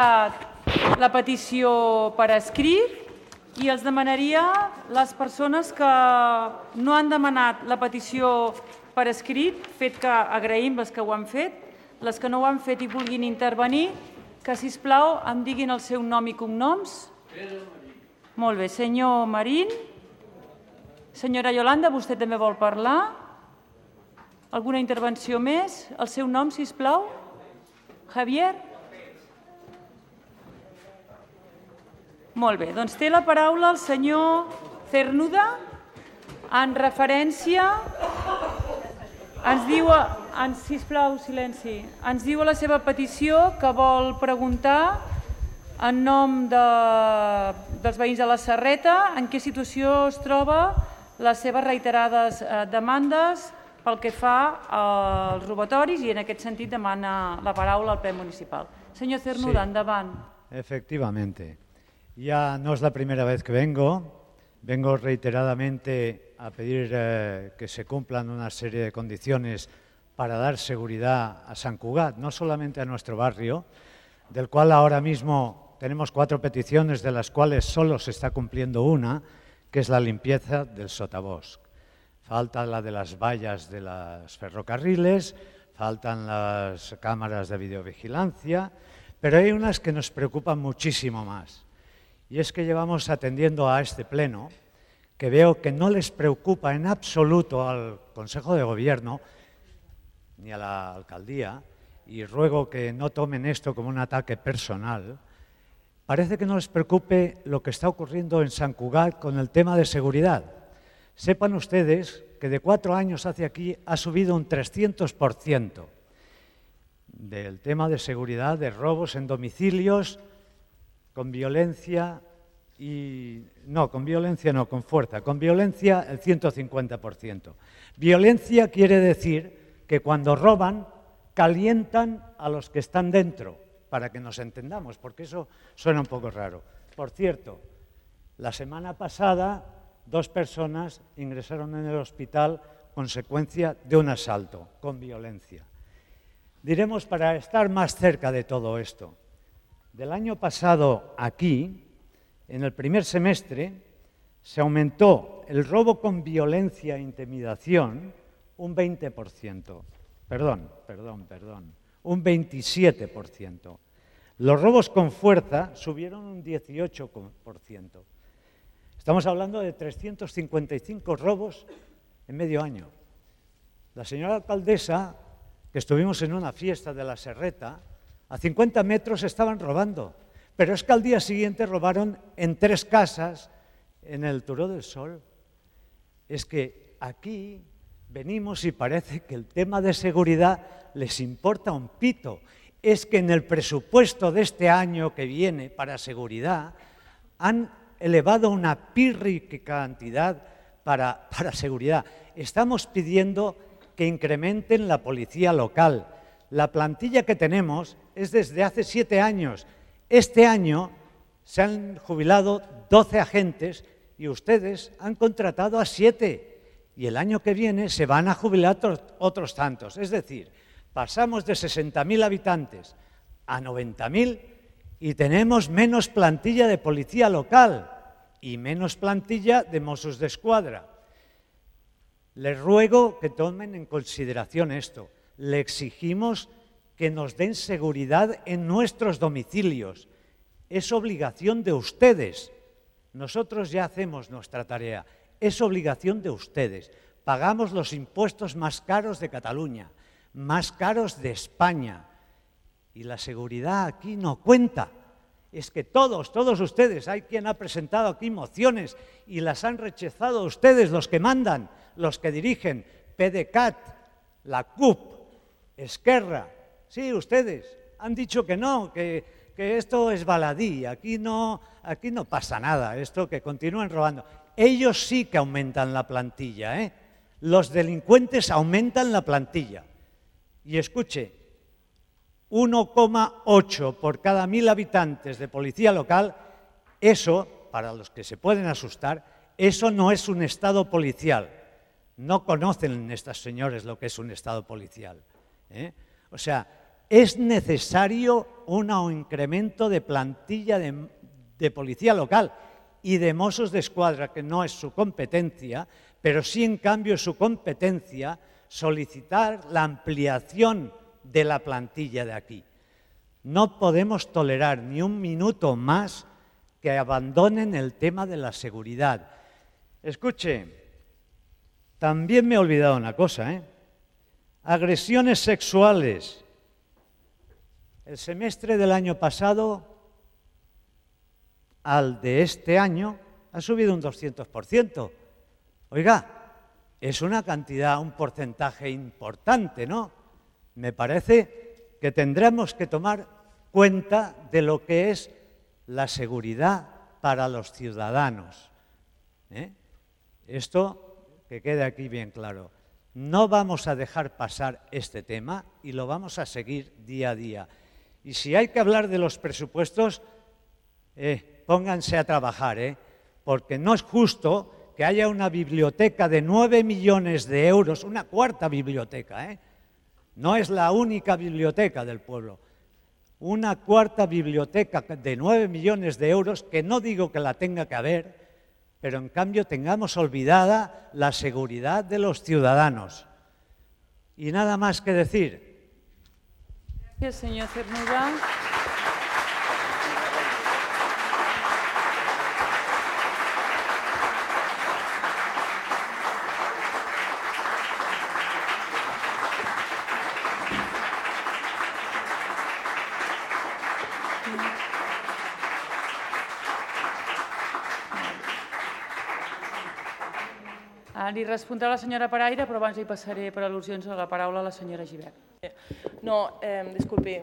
la petició per escrit i els demanaria les persones que no han demanat la petició per escrit, fet que agraïm les que ho han fet, les que no ho han fet i vulguin intervenir, que, sisplau, em diguin el seu nom i cognoms. Molt bé. Senyor Marín. Senyora Yolanda, vostè també vol parlar? Alguna intervenció més? El seu nom, sisplau. Javier? Molt bé. Doncs té la paraula el senyor Cernuda en referència... Ens diu, sisplau, silenci. Ens diu a la seva petició que vol preguntar en nom dels veïns de la Serreta en què situació es troba les seves reiterades demandes pel que fa als robatoris i en aquest sentit demana la paraula al ple municipal. Senyor Cernuda, endavant. Efectivamente. Ya no es la primera vez que vengo reiteradamente a pedir que se cumplan una serie de condiciones para dar seguridad a Sant Cugat, no solamente a nuestro barrio, del cual ahora mismo tenemos 4 peticiones, de las cuales solo se está cumpliendo una, que es la limpieza del sotabosc. Falta la de las vallas de los ferrocarriles, faltan las cámaras de videovigilancia, pero hay unas que nos preocupan muchísimo más. Y es que llevamos atendiendo a este pleno, que veo que no les preocupa en absoluto al Consejo de Gobierno ni a la alcaldía, y ruego que no tomen esto como un ataque personal. Parece que no les preocupe lo que está ocurriendo en Sant Cugat con el tema de seguridad. Sepan ustedes que de 4 años hacia aquí ha subido un 300% del tema de seguridad, de robos en domicilios, con violencia y... No, con violencia no, con fuerza. Con violencia el 150%. Violencia quiere decir que cuando roban calientan a los que están dentro, para que nos entendamos, porque eso suena un poco raro. Por cierto, la semana pasada 2 personas ingresaron en el hospital consecuencia de un asalto con violencia. Diremos, para estar más cerca de todo esto, del año pasado aquí, en el primer semestre, se aumentó el robo con violencia e intimidación un 20%. Perdón, un 27%. Los robos con fuerza subieron un 18%. Estamos hablando de 355 robos en medio año. La señora alcaldesa, que estuvimos en una fiesta de la Serreta, a 50 metros estaban robando, pero es que al día siguiente robaron en 3 casas en el Turó del Sol. Es que aquí venimos y parece que el tema de seguridad les importa un pito. Es que en el presupuesto de este año que viene para seguridad han elevado una pírrica cantidad para seguridad. Estamos pidiendo que incrementen la policía local. La plantilla que tenemos es desde hace 7 años. Este año se han jubilado 12 agentes y ustedes han contratado a 7. Y el año que viene se van a jubilar otros tantos. Es decir, pasamos de 60.000 habitantes a 90.000 y tenemos menos plantilla de policía local y menos plantilla de Mossos d'Esquadra. Les ruego que tomen en consideración esto. Le exigimos que nos den seguridad en nuestros domicilios. Es obligación de ustedes. Nosotros ya hacemos nuestra tarea. Es obligación de ustedes. Pagamos los impuestos más caros de Cataluña, más caros de España. Y la seguridad aquí no cuenta. Es que todos ustedes, hay quien ha presentado aquí mociones y las han rechazado ustedes, los que mandan, los que dirigen, PDeCAT, la CUP, Esquerra. Sí, ustedes han dicho que no, que esto es baladí, aquí no pasa nada, esto que continúen robando. Ellos sí que aumentan la plantilla, ¿eh? Los delincuentes aumentan la plantilla. Y escuche, 1,8 por cada 1.000 habitantes de policía local, eso, para los que se pueden asustar, eso no es un estado policial. No conocen estas señores lo que es un estado policial, ¿eh? O sea, es necesario un incremento de plantilla de policía local y de Mossos d'Esquadra, que no es su competencia, pero sí en cambio es su competencia solicitar la ampliación de la plantilla de aquí. No podemos tolerar ni un minuto más que abandonen el tema de la seguridad. Escuche, también me he olvidado una cosa, agresiones sexuales. El semestre del año pasado al de este año ha subido un 200%. Oiga, es una cantidad, un porcentaje importante, ¿no? Me parece que tendremos que tomar cuenta de lo que es la seguridad para los ciudadanos. Esto que quede aquí bien claro. No vamos a dejar pasar este tema y lo vamos a seguir día a día. Y si hay que hablar de los presupuestos, pónganse a trabajar, porque no es justo que haya una biblioteca de 9 millones de euros, una cuarta biblioteca, no es la única biblioteca del pueblo, una cuarta biblioteca de 9 millones de euros, que no digo que la tenga que haber, pero en cambio tengamos olvidada la seguridad de los ciudadanos. Y nada más que decir. Gracias, señor Cernuda. Li respondrà la senyora Paraire, però abans li passaré per al·lusions a la paraula a la senyora Gibert. No, disculpi,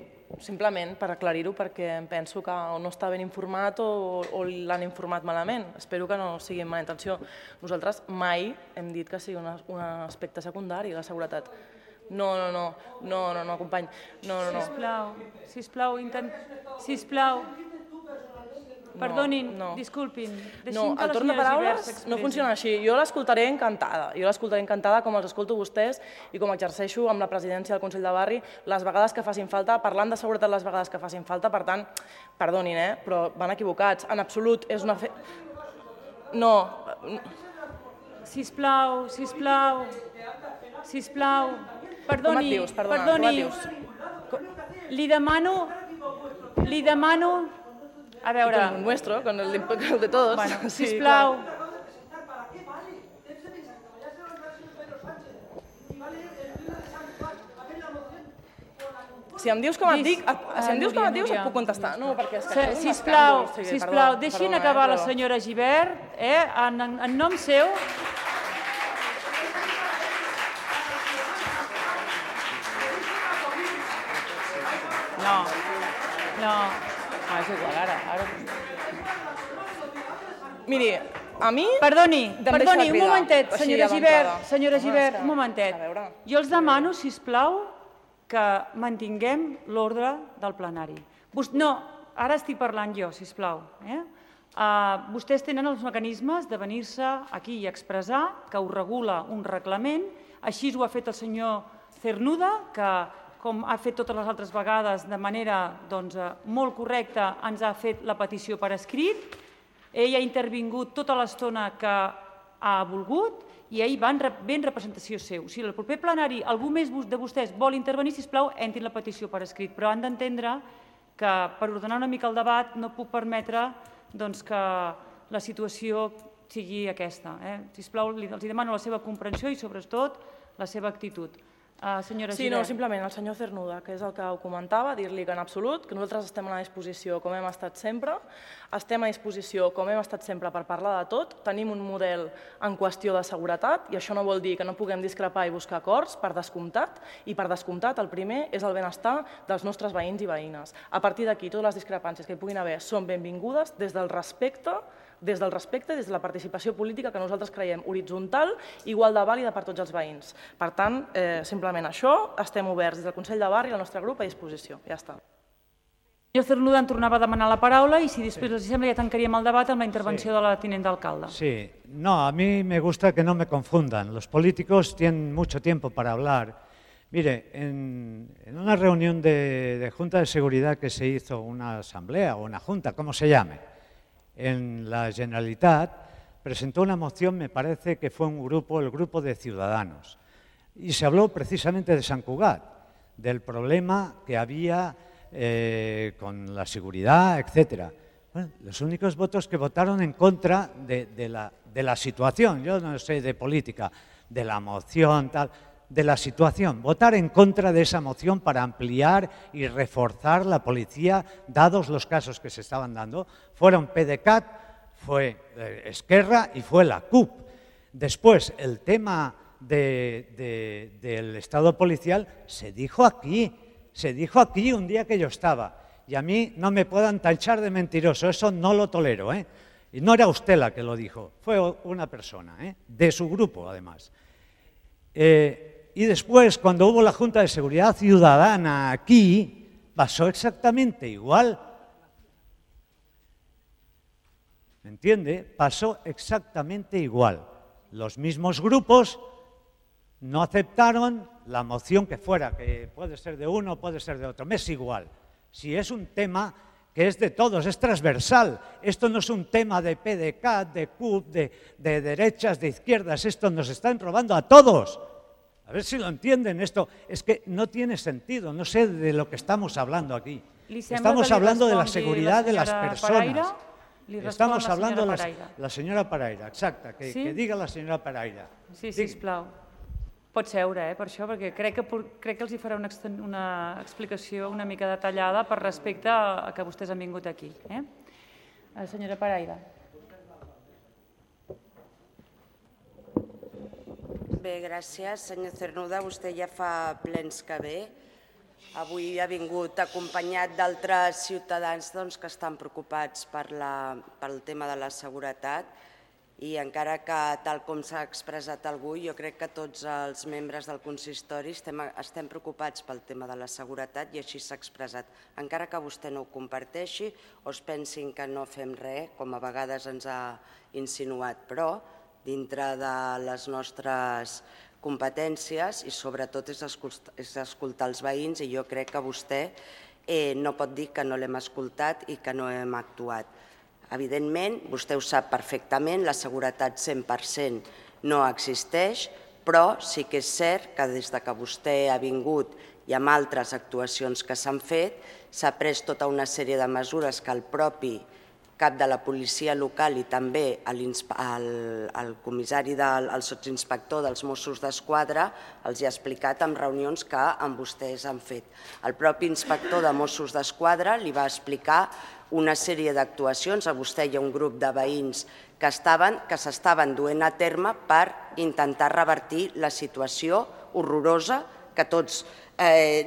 simplement per aclarir-ho, perquè em penso que o no està ben informat o l'han informat malament. Espero que no sigui amb mala intenció. Nosaltres mai hem dit que sigui un aspecte secundari, la seguretat. No, company. No. Sisplau. Perdonin, disculpin. No, el torn de paraules no funciona així. Jo l'escoltaré encantada, com els escolto vostès i com exerceixo amb la presidència del Consell de Barri les vegades que facin falta, parlant de seguretat les vegades que facin falta. Per tant, perdonin, però van equivocats. En absolut és una... No. Sisplau. Perdoni. Li demano... A veure... Con el nuestro, con el de todos. Bueno, sisplau. Si em dius com et dic, et puc contestar. No, perquè és que... Sisplau, deixin acabar la senyora Gibert, en nom seu. No. És igual, ara... Miri, a mi... Perdoni, un momentet, senyora Gibert, un momentet. Jo els demano, sisplau, que mantinguem l'ordre del plenari. No, ara estic parlant jo, sisplau. Vostès tenen els mecanismes de venir-se aquí i expressar que ho regula un reglament, així ho ha fet el senyor Cernuda, que com ha fet totes les altres vegades de manera molt correcta, ens ha fet la petició per escrit. Ell ha intervingut tota l'estona que ha volgut i ell va en representació seu. Si el proper plenari algú més de vostès vol intervenir, sisplau, entrin la petició per escrit, però han d'entendre que per ordenar una mica el debat no puc permetre que la situació sigui aquesta. Sisplau, els demano la seva comprensió i sobretot la seva actitud. Sí, no, simplement el senyor Cernuda, que és el que ho comentava, dir-li que en absolut, que nosaltres estem a la disposició com hem estat sempre, per parlar de tot, tenim un model en qüestió de seguretat i això no vol dir que no puguem discrepar i buscar acords, per descomptat, i per descomptat el primer és el benestar dels nostres veïns i veïnes. A partir d'aquí, totes les discrepàncies que hi puguin haver són benvingudes des del respecte, des de la participació política que nosaltres creiem horitzontal, igual de vàlida per tots els veïns. Per tant, simplement això, estem oberts des del Consell de Barri, el nostre grup, a disposició. Ja està. El senyor Cernuda en tornava a demanar la paraula i si després els sembla ja tancaríem el debat amb la intervenció de la tinent d'alcalde. Sí, no, a mí me gusta que no me confundan. Los políticos tienen mucho tiempo para hablar. Mire, en una reunión de Junta de Seguridad que se hizo, una asamblea o una junta, como se llame, en la Generalitat, presentó una moción, me parece que fue el grupo de Ciudadanos, y se habló precisamente de Sant Cugat, del problema que había con la seguridad, etc. Bueno, los únicos votos que votaron en contra de la situación, yo no sé de política, de la moción, tal, de la situación, votar en contra de esa moción para ampliar y reforzar la policía, dados los casos que se estaban dando, fueron PDeCAT, fue Esquerra y fue la CUP. Después, el tema del Estado policial se dijo aquí un día que yo estaba, y a mí no me puedan tachar de mentiroso, eso no lo tolero, ¿eh? Y no era usted la que lo dijo, fue una persona, de su grupo además. Y después, cuando hubo la Junta de Seguridad Ciudadana aquí, pasó exactamente igual. ¿Me entiende? Pasó exactamente igual. Los mismos grupos no aceptaron la moción que fuera, que puede ser de uno, puede ser de otro, me es igual. Si es un tema que es de todos, es transversal. Esto no es un tema de PDeCAT, de CUP, de derechas, de izquierdas, esto nos están robando a todos. A ver si lo entienden, esto es que no tiene sentido, no sé de lo que estamos hablando aquí. Estamos hablando de la seguridad de las personas. Estamos hablando de la senyora Paraire, exacte, que diga la senyora Paraire. Sí, sisplau. Pot seure, per això, perquè crec que els hi farà una explicació una mica detallada per respecte a que vostès han vingut aquí. Senyora Paraire. Bé, gràcies. Senyor Cernuda, vostè ja fa plens que ve. Avui ha vingut acompanyat d'altres ciutadans que estan preocupats pel tema de la seguretat i encara que, tal com s'ha expressat algú, jo crec que tots els membres del consistori estem preocupats pel tema de la seguretat i així s'ha expressat. Encara que vostè no ho comparteixi o es pensin que no fem res, com a vegades ens ha insinuat, però dintre de les nostres competències i sobretot és escoltar els veïns i jo crec que vostè no pot dir que no l'hem escoltat i que no hem actuat. Evidentment, vostè ho sap perfectament, la seguretat 100% no existeix, però sí que és cert que des que vostè ha vingut i amb altres actuacions que s'han fet, s'ha pres tota una sèrie de mesures que el propi cap de la policia local i també el comissari, el sotsinspector dels Mossos d'Esquadra els ha explicat en reunions que amb vostès han fet. El propi inspector de Mossos d'Esquadra li va explicar una sèrie d'actuacions a vostè i a un grup de veïns que s'estaven duent a terme per intentar revertir la situació horrorosa que tots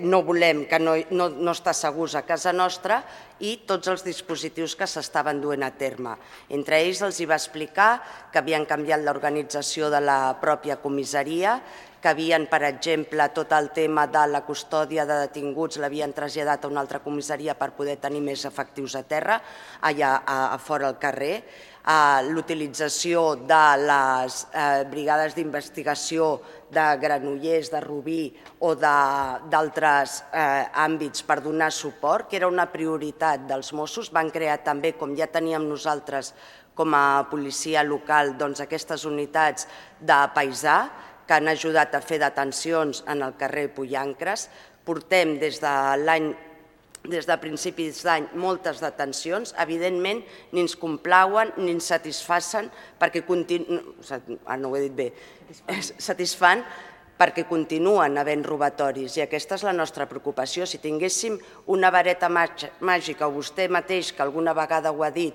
no volem, que no està segurs a casa nostra i tots els dispositius que s'estaven duent a terme. Entre ells els va explicar que havien canviat l'organització de la pròpia comissaria, que havien, per exemple, tot el tema de la custòdia de detinguts l'havien traslladat a una altra comissaria per poder tenir més efectius a terra, allà a fora al carrer, l'utilització de les brigades d'investigació de Granollers, de Rubí o d'altres àmbits per donar suport, que era una prioritat dels Mossos. Van crear també, com ja teníem nosaltres com a policia local, aquestes unitats de paisà que han ajudat a fer detencions en el carrer Pollancres. Portem des de principis d'any moltes detencions, evidentment ni ens complauen ni ens satisfan perquè continuen havent robatoris i aquesta és la nostra preocupació. Si tinguéssim una vareta màgica o vostè mateix, que alguna vegada ho ha dit,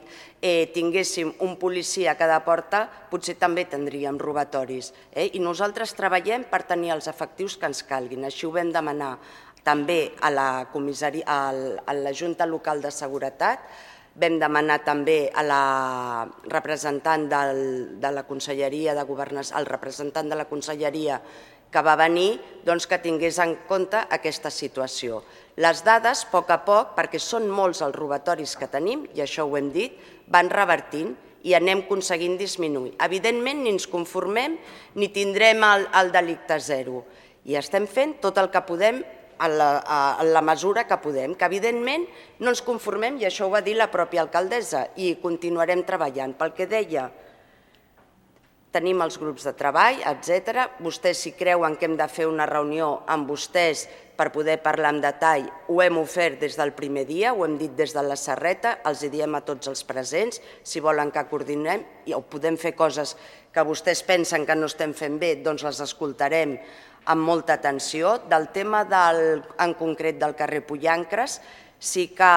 tinguéssim un policia a cada porta, potser també tindríem robatoris. I nosaltres treballem per tenir els efectius que ens calguin. Així ho vam demanar també a la Junta Local de Seguretat, vam demanar també a la representant de la Conselleria de Governació, al representant de la Conselleria que va venir, que tingués en compte aquesta situació. Les dades, a poc, perquè són molts els robatoris que tenim, i això ho hem dit, van revertint i anem aconseguint disminuir. Evidentment, ni ens conformem ni tindrem el delicte zero. I estem fent tot el que podem en la mesura que podem, que evidentment no ens conformem, i això ho va dir la pròpia alcaldessa, i continuarem treballant. Pel que deia, tenim els grups de treball, etc. Vostès, si creuen que hem de fer una reunió amb vostès per poder parlar en detall, ho hem ofert des del primer dia, ho hem dit des de la Serreta, els hi diem a tots els presents, si volen que coordinem, o podem fer coses que vostès pensen que no estem fent bé, doncs les escoltarem amb molta atenció. Del tema en concret del carrer Pollancres, sí que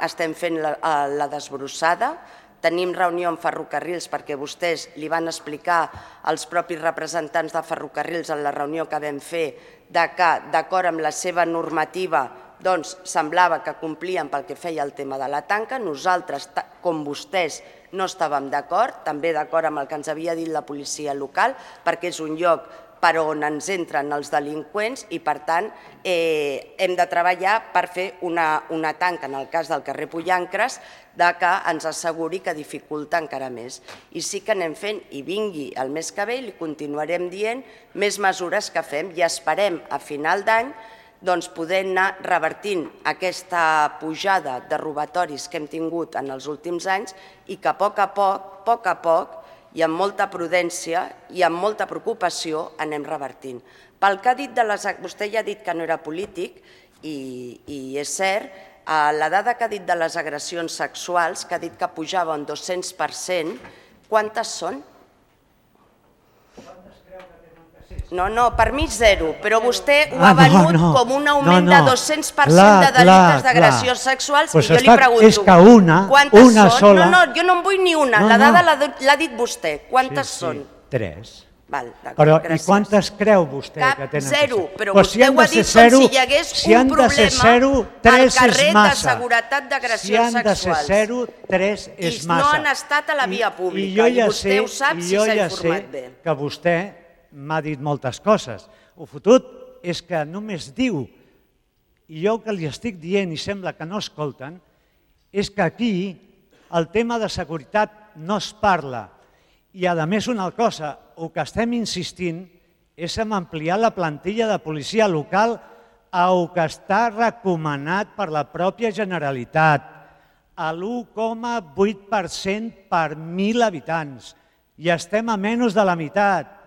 estem fent la desbrossada. Tenim reunió amb Ferrocarrils perquè vostès li van explicar als propis representants de Ferrocarrils en la reunió que vam fer que, d'acord amb la seva normativa, doncs semblava que complien pel que feia el tema de la tanca. Nosaltres, com vostès, no estàvem d'acord, també d'acord amb el que ens havia dit la policia local, perquè és un lloc per on ens entren els delinqüents i, per tant, hem de treballar per fer una tanca, en el cas del carrer Pollancres, que ens asseguri que dificulta encara més. I sí que anem fent, i vingui el mes que ve, i li continuarem dient més mesures que fem, i esperem a final d'any poder anar revertint aquesta pujada de robatoris que hem tingut en els últims anys i que a poc a poc, i amb molta prudència i amb molta preocupació anem revertint. Pel que ha dit, vostè ja ha dit que no era polític, i és cert, la dada que ha dit de les agressions sexuals, que ha dit que pujava un 200%, quantes són? No, per mi zero, però vostè ho ha venut com un augment de 200% de delictes d'agressions sexuals, i jo li pregunto, quantes són? No, jo no en vull ni una, la dada l'ha dit vostè, quantes són? 3. Però i quantes creu vostè que tenen que ser? Zero, però vostè ho ha dit com si hi hagués un problema al carrer de seguretat d'agressions sexuals. Si han de ser 0, 3 és massa. I no han estat a la via pública, i vostè ho sap si s'ha informat bé. Que vostè m'ha dit moltes coses. El fotut és que només diu, i jo que li estic dient i sembla que no escolten, és que aquí el tema de seguretat no es parla. I a més una cosa, el que estem insistint és en ampliar la plantilla de policia local al que està recomanat per la pròpia Generalitat, a l'1,8% per 1.000 habitants. I estem a menys de la meitat.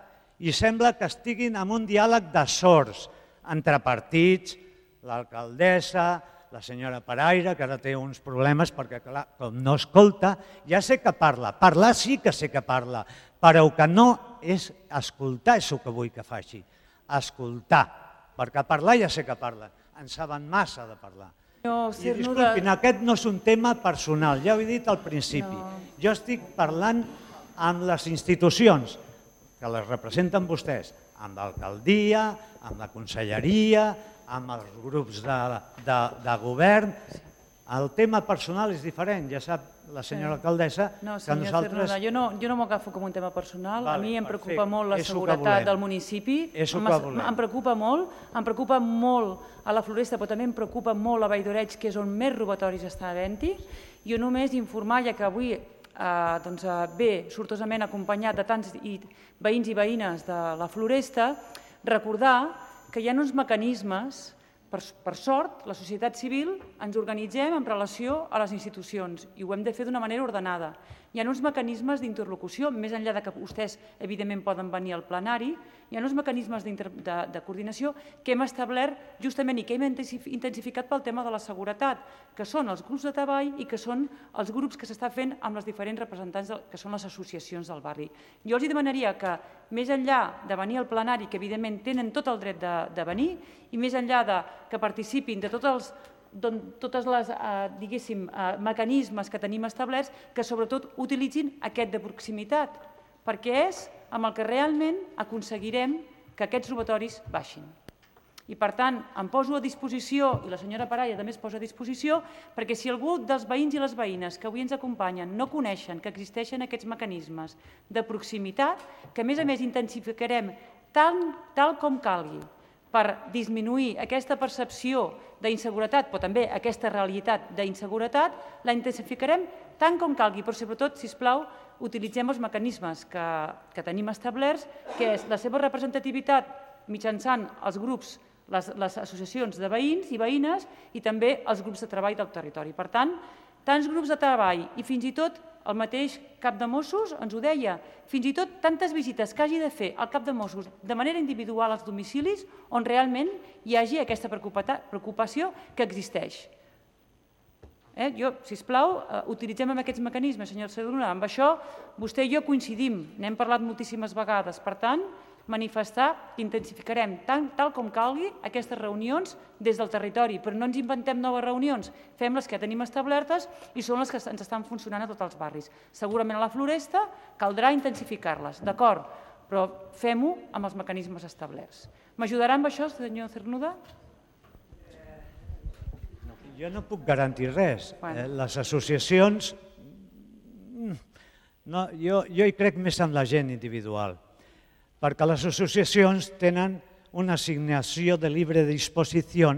I sembla que estiguin en un diàleg de sords entre partits, l'alcaldessa, la senyora Paraire, que ara té uns problemes perquè, clar, com no escolta, ja sé que parla. Parlar sí que sé que parla, però el que no és escoltar és el que vull que faci. Escoltar, perquè parlar ja sé que parla. En saben massa de parlar. I disculpin, aquest no és un tema personal, ja ho he dit al principi. Jo estic parlant amb les institucions que les representen vostès, amb l'alcaldia, amb la conselleria, amb els grups de govern. El tema personal és diferent, ja sap la senyora alcaldessa que nosaltres... Jo no m'ho agafo com un tema personal, a mi em preocupa molt la seguretat del municipi, em preocupa molt a la Floresta, però també em preocupa molt a Vall d'Oreig, que és on més robatoris està havent-hi. Jo només informar, ja que avui ve sortosament acompanyat de tants veïns i veïnes de la Floresta, recordar que hi ha uns mecanismes, per sort, la societat civil ens organitzem en relació a les institucions i ho hem de fer d'una manera ordenada. Hi ha uns mecanismes d'interlocució, més enllà que vostès evidentment poden venir al plenari, hi ha uns mecanismes de coordinació que hem establert justament i que hem intensificat pel tema de la seguretat, que són els grups de treball i que són els grups que s'està fent amb les diferents representants que són les associacions del barri. Jo els demanaria que, més enllà de venir al plenari, que evidentment tenen tot el dret de venir, i més enllà que participin de tots els mecanismes que tenim establerts, que sobretot utilitzin aquest de proximitat, perquè és amb el que realment aconseguirem que aquests robatoris baixin. I per tant, em poso a disposició, i la senyora Paraire també es posa a disposició, perquè si algú dels veïns i les veïnes que avui ens acompanyen no coneixen que existeixen aquests mecanismes de proximitat, que a més intensificarem tal com calgui per disminuir aquesta percepció d'inseguretat, però també aquesta realitat d'inseguretat, la intensificarem tant com calgui, però sobretot, sisplau, utilitzem els mecanismes que tenim establerts, que és la seva representativitat mitjançant els grups, les associacions de veïns i veïnes i també els grups de treball del territori. Per tant, tants grups de treball i fins i tot el mateix cap de Mossos ens ho deia, fins i tot tantes visites que hagi de fer el cap de Mossos de manera individual als domicilis on realment hi hagi aquesta preocupació que existeix. Sisplau, utilitzem aquests mecanismes, senyor Cerduna. Amb això vostè i jo coincidim, n'hem parlat moltíssimes vegades. Per tant, manifestar que intensificarem tal com calgui aquestes reunions des del territori, però no ens inventem noves reunions, fem les que tenim establertes i són les que ens estan funcionant a tots els barris. Segurament a la Floresta caldrà intensificar-les, d'acord, però fem-ho amb els mecanismes establerts. M'ajudarà amb això, senyor Cernuda? Jo no puc garantir res. Les associacions, jo hi crec més en la gent individual, perquè les associacions tenen una assignació de lliure disposició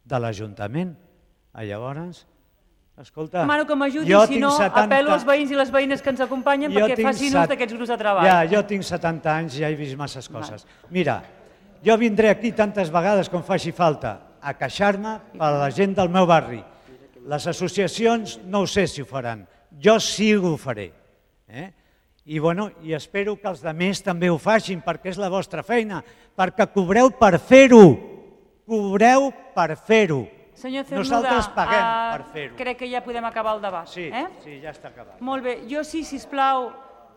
de l'Ajuntament. Llavors, escolta... Demano que m'ajudi, si no apel·lo als veïns i les veïnes que ens acompanyen perquè facin ús d'aquests grups de treball. Jo tinc 70 anys i ja he vist masses coses. Mira, jo vindré aquí tantes vegades com faci falta a queixar-me per la gent del meu barri. Les associacions no ho sé si ho faran, jo sí que ho faré. I espero que els altres també ho facin, perquè és la vostra feina, perquè cobreu per fer-ho. Cobreu per fer-ho. Senyor Cernuda, nosaltres paguem per fer-ho. Crec que ja podem acabar el debat. Sí, ja està acabat. Molt bé. Jo sí, sisplau,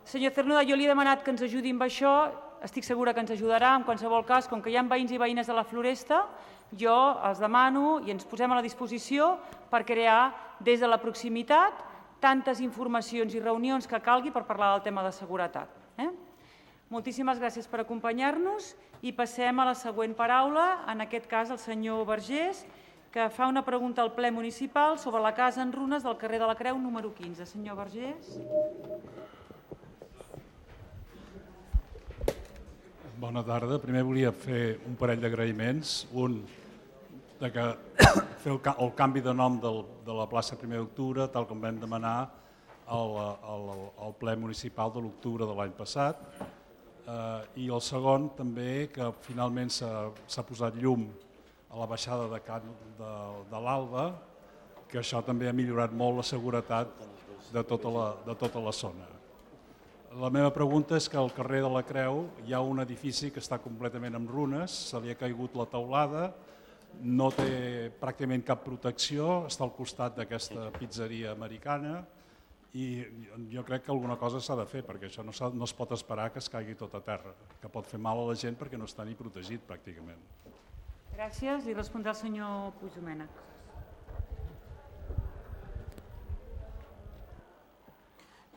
senyor Cernuda, jo li he demanat que ens ajudi amb això, estic segura que ens ajudarà, en qualsevol cas, com que hi ha veïns i veïnes de la Floresta, jo els demano i ens posem a la disposició per crear des de la proximitat tantes informacions i reunions que calgui per parlar del tema de seguretat. Moltíssimes gràcies per acompanyar-nos i passem a la següent paraula, en aquest cas el senyor Vergés, que fa una pregunta al ple municipal sobre la casa en runes del carrer de la Creu número 15. Senyor Vergés. Bona tarda. Primer volia fer un parell d'agraïments. Un, de que fer el canvi de nom de la plaça 1 d'octubre, tal com vam demanar al ple municipal de l'octubre de l'any passat. I el segon, també, que finalment s'ha posat llum a la baixada de l'Alba, que això també ha millorat molt la seguretat de tota la zona. La meva pregunta és que al carrer de la Creu hi ha un edifici que està completament en runes, se li ha caigut la teulada, no té pràcticament cap protecció, està al costat d'aquesta pizzeria americana i jo crec que alguna cosa s'ha de fer perquè això no es pot esperar que es caigui tot a terra, que pot fer mal a la gent perquè no està ni protegit pràcticament. Gràcies. Li respondrà el senyor Puigdomènech.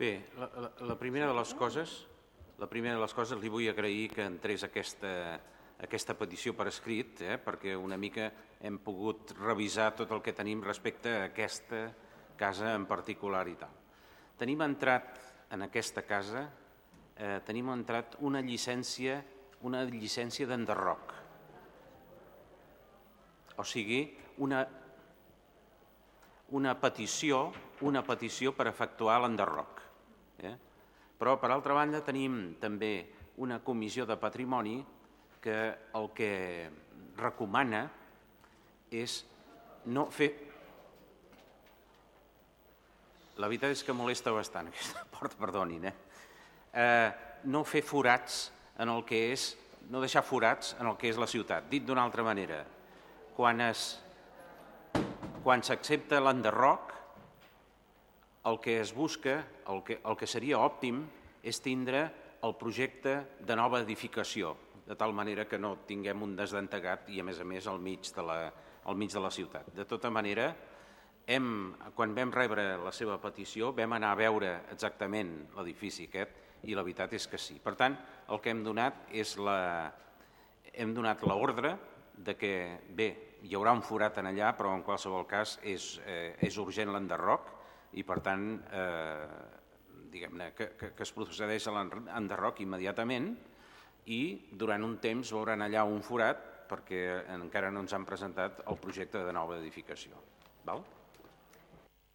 Bé, la primera de les coses li vull agrair que entrés aquesta petició per escrit, perquè una mica hem pogut revisar tot el que tenim respecte a aquesta casa en particular i tal. Tenim entrat en aquesta casa una llicència d'enderroc. O sigui, una petició per efectuar l'enderroc. Però, per altra banda, tenim també una comissió de patrimoni que el que recomana és no fer... La veritat és que molesta bastant aquesta porta, perdonin, no fer forats en el que és, no deixar forats en el que és la ciutat. Dit d'una altra manera, quan s'accepta l'enderroc, el que es busca, el que seria òptim, és tindre el projecte de nova edificació, de tal manera que no tinguem un desdentegat i, a més, al mig de la ciutat. De tota manera, quan vam rebre la seva petició, vam anar a veure exactament l'edifici aquest i la veritat és que sí. Per tant, el que hem donat és l'ordre de que, bé, hi haurà un forat en allà, però en qualsevol cas és urgent l'enderroc i, per tant, diguem-ne que es procedeix a l'enderroc immediatament i durant un temps veuran allà un forat perquè encara no ens han presentat el projecte de nova edificació. Val?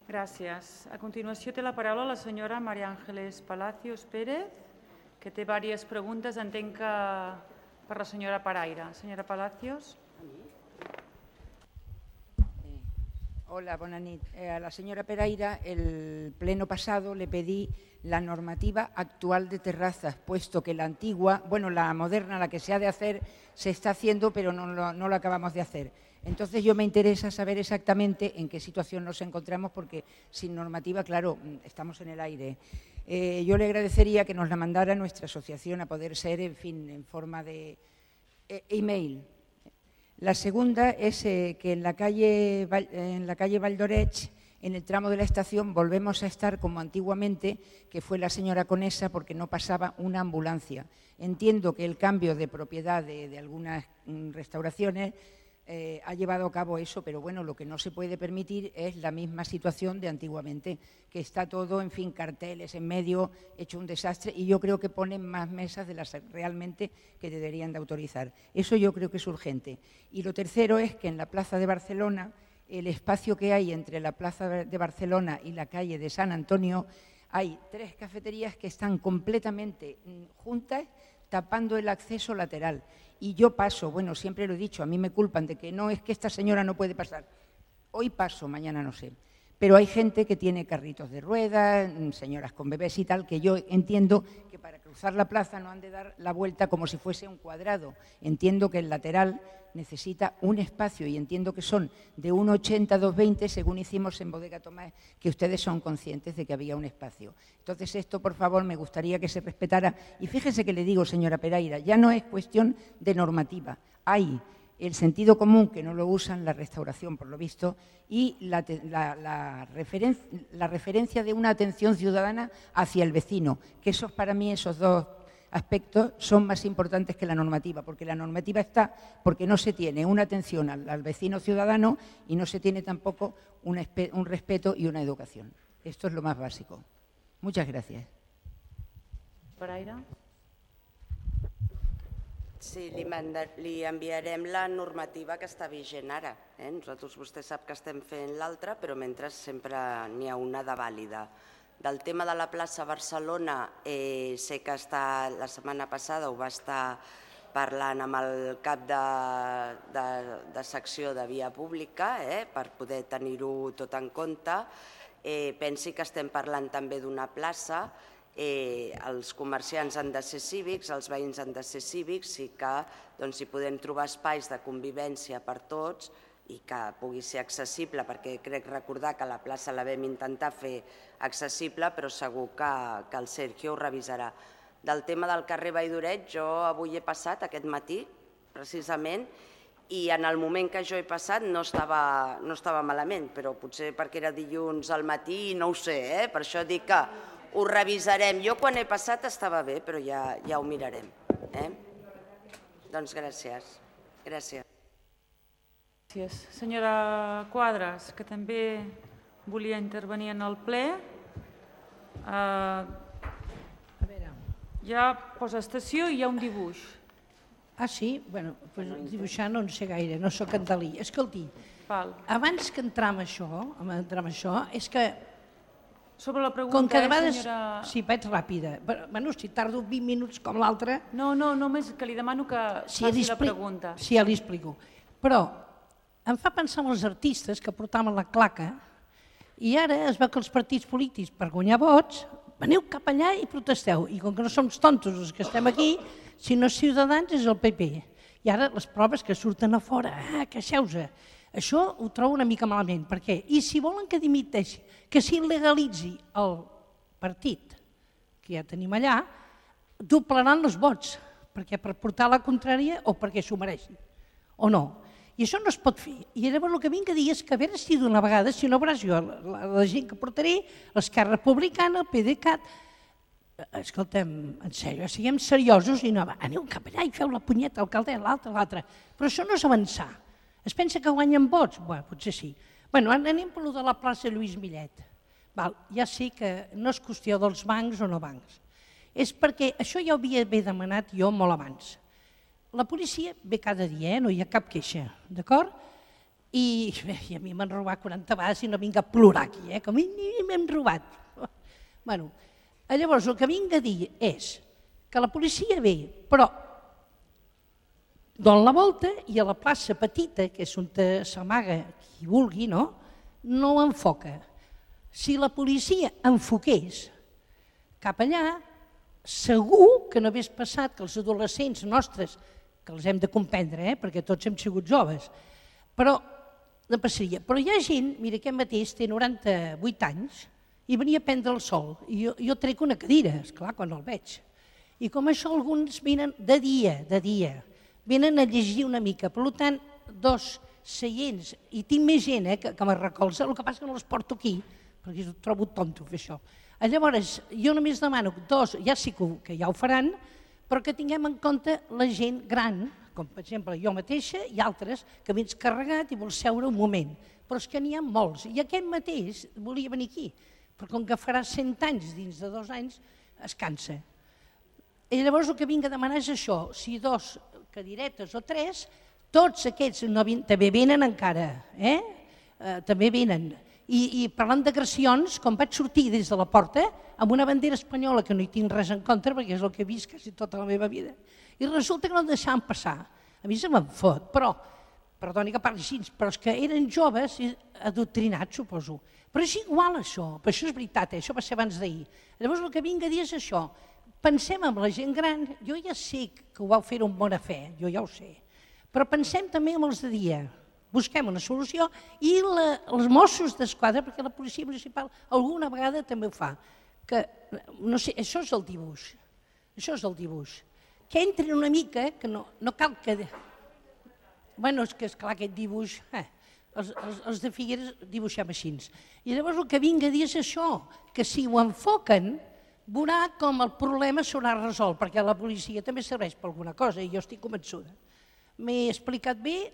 Gràcies. A continuació té la paraula la senyora María Ángeles Palacios Pérez, que té diverses preguntes. Entenc que per la senyora Paraire. Senyora Palacios. Hola, buenas noches. A la señora Paraire, el pleno pasado le pedí la normativa actual de terrazas, puesto que la antigua, bueno, la moderna, la que se ha de hacer, se está haciendo, pero no lo acabamos de hacer. Entonces yo me interesa saber exactamente en qué situación nos encontramos, porque sin normativa, claro, estamos en el aire. Yo le agradecería que nos la mandara nuestra asociación, a poder ser, en fin, en forma de email. La segunda es que en la calle Valdorech, en el tramo de la estación, volvemos a estar como antiguamente, que fue la señora Conesa, porque no pasaba una ambulancia. Entiendo que el cambio de propiedad de algunas restauraciones ha llevado a cabo eso, pero bueno, lo que no se puede permitir es la misma situación de antiguamente, que está todo, en fin, carteles en medio, hecho un desastre, y yo creo que ponen más mesas de las realmente que deberían de autorizar. Eso yo creo que es urgente. Y lo tercero es que en la Plaza de Barcelona, el espacio que hay entre la Plaza de Barcelona y la calle de San Antonio, hay 3 cafeterías que están completamente juntas, tapando el acceso lateral. Y yo paso, bueno, siempre lo he dicho, a mí me culpan de que no, es que esta señora no puede pasar. Hoy paso, mañana no sé. Pero hay gente que tiene carritos de ruedas, señoras con bebés y tal, que yo entiendo que para cruzar la plaza no han de dar la vuelta como si fuese un cuadrado. Entiendo que el lateral necesita un espacio y entiendo que son de 1,80 a 2,20, según hicimos en Bodega Tomás, que ustedes son conscientes de que había un espacio. Entonces esto, por favor, me gustaría que se respetara. Y fíjese que le digo, señora Paraire, ya no es cuestión de normativa. Hay el sentido común, que no lo usan, la restauración, por lo visto, y la referencia de una atención ciudadana hacia el vecino, que esos, para mí, esos 2 aspectos son más importantes que la normativa, porque la normativa está porque no se tiene una atención al vecino ciudadano y no se tiene tampoco un respeto y una educación. Esto es lo más básico. Muchas gracias. Paraire. Sí, li enviarem la normativa que està vigent ara. Nosaltres, vostè sap que estem fent l'altra, però mentre sempre n'hi ha una de vàlida. Del tema de la plaça Barcelona, sé que la setmana passada ho va estar parlant amb el cap de secció de via pública per poder tenir-ho tot en compte. Pensi que estem parlant també d'una plaça. Els comerciants han de ser cívics, els veïns han de ser cívics i que hi podem trobar espais de convivència per tots i que pugui ser accessible, perquè crec recordar que la plaça la vam intentar fer accessible, però segur que el Sergio ho revisarà. Del tema del carrer Valldoret, jo avui he passat aquest matí, precisament, i en el moment que jo he passat no estava malament, però potser perquè era dilluns al matí i no ho sé, per això dic que ho revisarem. Jo quan he passat estava bé, però ja ho mirarem. Doncs gràcies. Gràcies. Gràcies. Senyora Quadras, que també volia intervenir en el ple. Hi ha postestació i hi ha un dibuix. Ah, sí? Bé, dibuixar no en sé gaire, no soc cantalí. Escolti, abans que entrar en això, és que... Sobre la pregunta, senyora... Sí, vaig ràpida. Bé, si tardo 20 minuts com l'altra... No, només que li demano que faci la pregunta. Sí, ja li explico. Però em fa pensar en els artistes que portaven la claca i ara es veu que els partits polítics, per guanyar vots, veniu cap allà i protesteu. I com que no som tontos els que estem aquí, si no és Ciutadans és el PP. I ara les proves que surten a fora, queixeu-se. Això ho trobo una mica malament. Per què? I si volen que dimiteixi, que s'il·legalitzi el partit que ja tenim allà, doblaran els vots, perquè per portar la contrària o perquè s'ho mereixin, o no. I això no es pot fer. I llavors el que vinc a dir és que a veure si d'una vegada, si no veuràs jo, la gent que portaré, l'Esquerra Republicana, el PDeCAT, escolta'm, en sèrio, siguem seriosos i no, aneu cap allà i feu la punyeta, alcalde, l'altre. Però això no és avançar. Es pensa que guanyen vots? Bé, potser sí. Bé, anem per allò de la plaça Lluís Millet. Ja sé que no és qüestió dels bancs o no bancs. És perquè això ja ho havia demanat jo molt abans. La policia ve cada dia, no hi ha cap queixa, d'acord? I a mi m'han robat 40 vegades i no vinc a plorar aquí, com m'hem robat. Bé, llavors el que vinc a dir és que la policia ve, però Don la volta i a la plaça petita, que és on s'amaga qui vulgui, no ho enfoca. Si la policia enfoqués cap allà, segur que no hagués passat que els adolescents nostres, que els hem de comprendre, perquè tots hem sigut joves, però no passaria. Però hi ha gent, mira, aquest mateix té 98 anys i venia a prendre el sol. I jo trec una cadira, esclar, quan el veig. I com això alguns venen de dia, venen a llegir una mica. Per tant, 2 seients, i tinc més gent que me recolza, el que passa que no les porto aquí, perquè ho trobo tonto fer això. Llavors, jo només demano 2, ja sí que ja ho faran, però que tinguem en compte la gent gran, com per exemple jo mateixa i altres, que vens carregat i vols seure un moment. Però és que n'hi ha molts, i aquest mateix volia venir aquí, però com que farà 100 anys dins de 2 anys, es cansa. I llavors el que vinc a demanar és això, si 2 cadiretes o 3, tots aquests també venen encara, també venen. I parlant d'agressions, quan vaig sortir des de la porta, amb una bandera espanyola que no hi tinc res en contra, perquè és el que he vist quasi tota la meva vida, i resulta que no el deixaven passar. A mi se me'n fot, però, perdoni que parli així, però és que eren joves i adoctrinats, suposo. Però és igual això, però això és veritat, això va ser abans d'ahir. Llavors el que vinc a dir és això, pensem en la gent gran, jo ja sé que ho vau fer amb bona fe, jo ja ho sé, però pensem també en els de dia, busquem una solució i els Mossos d'Esquadra, perquè la policia municipal alguna vegada també ho fa, que, no sé, això és el dibuix, que entren una mica, que no cal que... Bueno, és que esclar aquest dibuix, els de Figueres dibuixem així. I llavors el que vinc a dir és això, que si ho enfoquen, veurà com el problema s'haurà resolt, perquè la policia també serveix per alguna cosa i jo estic convençuda. M'he explicat bé?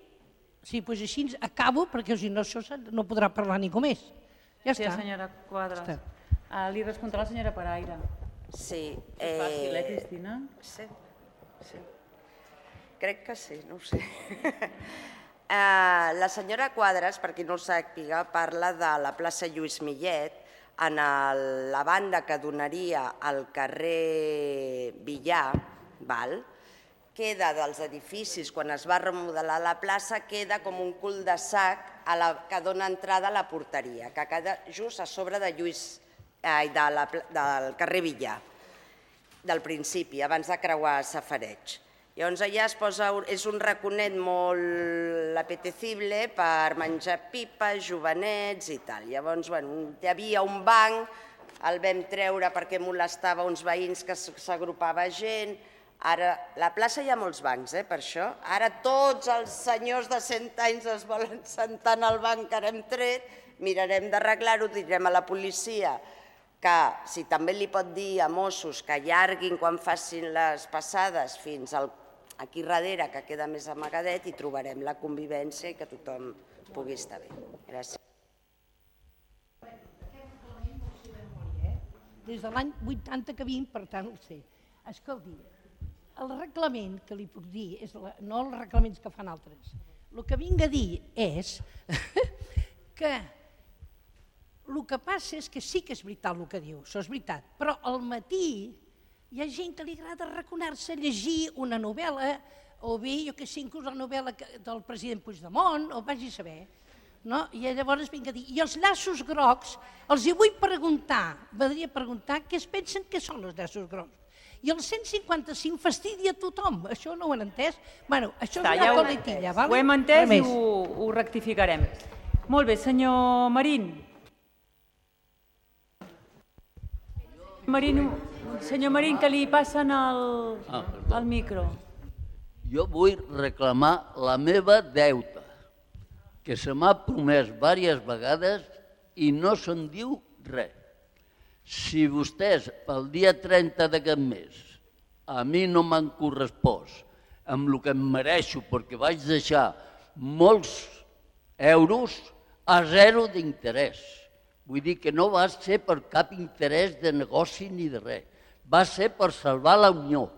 Sí, doncs així acabo, perquè si no això no podrà parlar ningú més. Ja està. Sí, senyora Quadras. Li respondrà la senyora Peraire. Sí. És fàcil, Cristina? Sí. Crec que sí, no ho sé. La senyora Quadras, per qui no ho sàpiga, parla de la plaça Lluís Millet, en la banda que donaria al carrer Villar, queda dels edificis, quan es va remodelar la plaça, queda com un cul-de-sac que dona entrada a la porteria, que queda just a sobre del carrer Villar, del principi, abans de creuar Safareig. Llavors allà es posa, és un raconet molt apetecible per menjar pipes, jovenets i tal. Llavors, hi havia un banc, el vam treure perquè molestava uns veïns que s'agrupava gent. Ara, a la plaça hi ha molts bancs, per això. Ara tots els senyors de 100 anys es volen sentar en el banc que ara hem tret, mirarem d'arreglar-ho, direm a la policia que si també li pot dir a Mossos que allarguin quan facin les passades fins aquí darrere, que queda més amagadet, i trobarem la convivència i que tothom pugui estar bé. Gràcies. Des de l'any 80 que vinc, per tant ho sé. Escolti, el reglament que li puc dir, no els reglaments que fan altres, el que vinc a dir és que el que passa és que sí que és veritat el que diu, això és veritat, però al matí hi ha gent que li agrada raconar-se, llegir una novel·la, o bé, jo que sé, inclús la novel·la del president Puigdemont, o vagi a saber. I llavors vinc a dir, i els llaços grocs, els hi vull preguntar, m'agradaria preguntar què es pensen que són els llaços grocs. I el 155 fastidia a tothom, això no ho han entès? Bé, això és una coletilla, val? Ho hem entès i ho rectificarem. Molt bé, senyor Marín. Senyor Marín, que li passen el micro. Jo vull reclamar la meva deuta, que se m'ha promès diverses vegades i no se'n diu res. Si vostès, pel dia 30 d'aquest mes, a mi no m'han correspost amb el que em mereixo, perquè vaig deixar molts euros a zero d'interès. Vull dir que no va ser per cap interès de negoci ni de res. Va ser per salvar la Unió.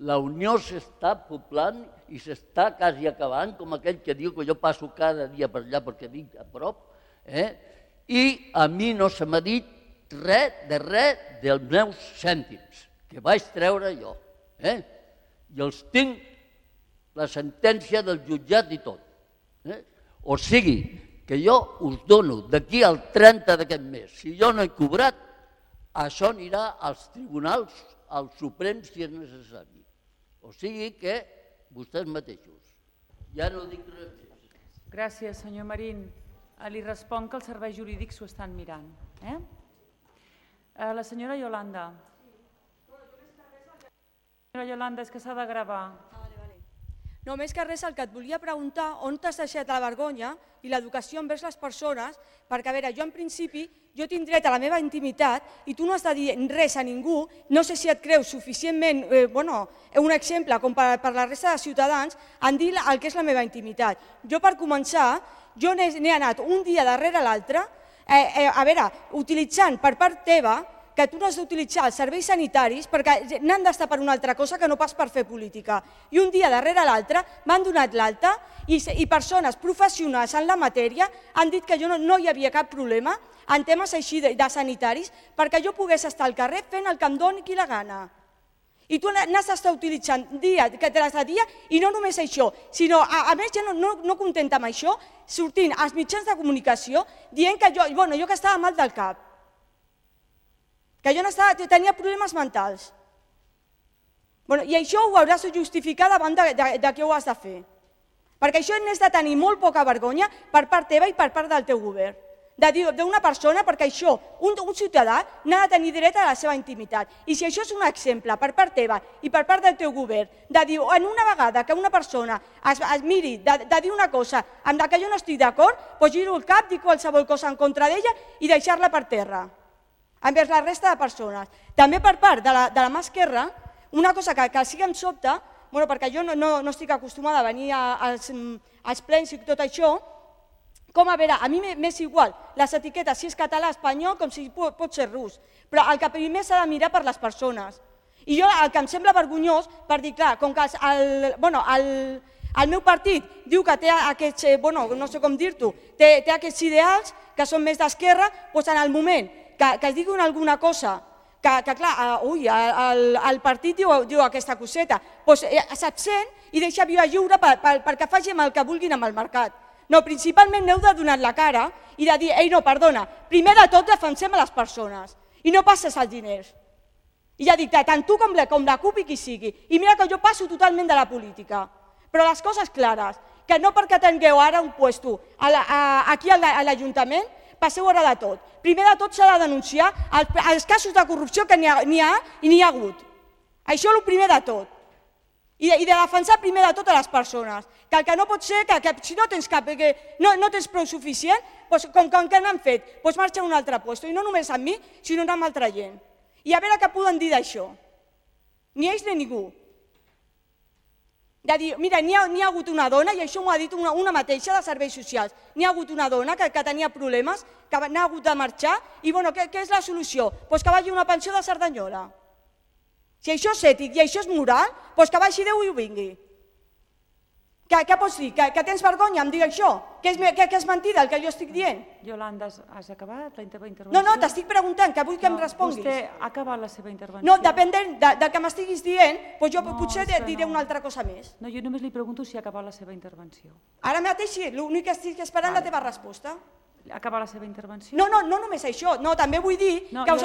La Unió s'està poblant i s'està quasi acabant, com aquell que diu que jo passo cada dia per allà perquè vinc a prop, i a mi no se m'ha dit res dels meus cèntims, que vaig treure jo. I els tinc la sentència del jutjat i tot. O sigui, que jo us dono d'aquí al 30 d'aquest mes, si jo no he cobrat, això anirà als tribunals, al Suprem, si és necessari. O sigui que vostès mateixos. Ja no dic res més. Gràcies, senyor Marín. Li responc que els serveis jurídics s'ho estan mirant. La senyora Yolanda. Senyora Yolanda, és que s'ha de gravar. No, més que res, el que et volia preguntar, on t'has deixat la vergonya i l'educació envers les persones, perquè, a veure, jo en principi, jo tinc dret a la meva intimitat i tu no has de dir res a ningú, no sé si et creus suficientment, un exemple com per la resta de ciutadans, en dir el que és la meva intimitat. Jo, per començar, jo n'he anat un dia darrere l'altre, a veure, utilitzant per part teva, que tu no has d'utilitzar els serveis sanitaris perquè n'han d'estar per una altra cosa que no pas per fer política. I un dia darrere l'altre m'han donat l'alta i persones professionals en la matèria han dit que no hi havia cap problema en temes així de sanitaris perquè jo pogués estar al carrer fent el que em doni qui la gana. I tu n'has d'estar utilitzant que te l'has de dia i no només això, sinó a més ja no contenta amb això, sortint als mitjans de comunicació dient que jo que estava mal del cap, que jo tenia problemes mentals. I això ho hauràs de justificar davant de què ho has de fer. Perquè això n'has de tenir molt poca vergonya per part teva i per part del teu govern. De dir d'una persona, perquè això, un ciutadà n'ha de tenir dret a la seva intimitat. I si això és un exemple per part teva i per part del teu govern, de dir en una vegada que una persona es miri de dir una cosa amb la que jo no estic d'acord, doncs giro el cap, dic qualsevol cosa en contra d'ella i deixar-la per terra envers la resta de persones. També per part de la mà esquerra, una cosa que sí que em sobta, perquè jo no estic acostumada a venir als plens i tot això, com a veure, a mi m'és igual les etiquetes si és català, espanyol, com si pot ser rus, però el que primer s'ha de mirar per les persones. I jo el que em sembla vergonyós, per dir, clar, com que el meu partit diu que té aquests, no sé com dir-t'ho, té aquests ideals que són més d'esquerra, doncs en el moment que es diguin alguna cosa, que clar, el partit diu aquesta coseta, doncs s'absent i deixa via lliure perquè facin el que vulguin amb el mercat. No, principalment n'heu de donar la cara i de dir, ei, no, perdona, primer de tot defensem a les persones i no passes els diners. I ja dic, tant tu com la CUP i qui sigui. I mira que jo passo totalment de la política, però les coses clares, que no perquè tingueu ara un puesto aquí a l'Ajuntament, passeu ara de tot. Primer de tot s'ha de denunciar els casos de corrupció que n'hi ha i n'hi ha hagut. Això és el primer de tot. I de defensar primer de tot a les persones. Que el que no pot ser, que si no tens prou suficient, com que n'han fet, doncs marxa a un altre lloc. I no només amb mi, sinó amb altra gent. I a veure què poden dir d'això. Ni ells ni ningú. De dir, mira, n'hi ha hagut una dona, i això m'ho ha dit una mateixa de serveis socials, n'hi ha hagut una dona que tenia problemes, que n'ha hagut de marxar, i què és la solució? Doncs que vagi a una pensió de Cerdanyola. Si això és ètic i això és moral, doncs que vagi Déu i ho vingui. Què pots dir? Que tens vergonya em dir això? Que és mentida el que jo estic dient? Yolanda, has acabat la intervenció? No, t'estic preguntant, que vull que em responguis. Vostè ha acabat la seva intervenció? No, depèn del que m'estiguis dient, doncs jo potser diré una altra cosa més. No, jo només li pregunto si ha acabat la seva intervenció. Ara mateix sí, l'únic que estic esperant la teva resposta. Ha acabat la seva intervenció? No només això, també vull dir que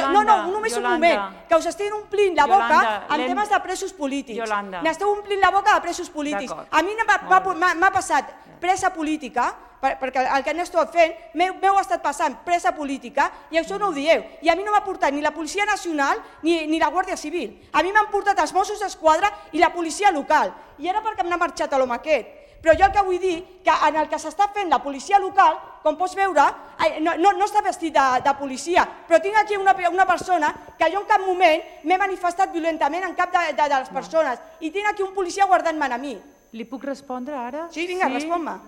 només un moment, que us estiguin omplint la boca amb temes de presos polítics. N'esteu omplint la boca de presos polítics. A mi m'ha passat presa política, perquè el que n'esteu fent, m'heu estat passant presa política, i això no ho dieu. I a mi no m'ha portat ni la Policia Nacional ni la Guàrdia Civil. A mi m'han portat els Mossos d'Esquadra i la policia local. I ara perquè m'ha marxat a l'home aquest. Però jo el que vull dir, que en el que s'està fent la policia local, com pots veure, no està vestit de policia, però tinc aquí una persona que jo en cap moment m'he manifestat violentament en cap de les persones, i tinc aquí un policia guardant-me a mi. Li puc respondre ara? Sí, vinga, respon-me.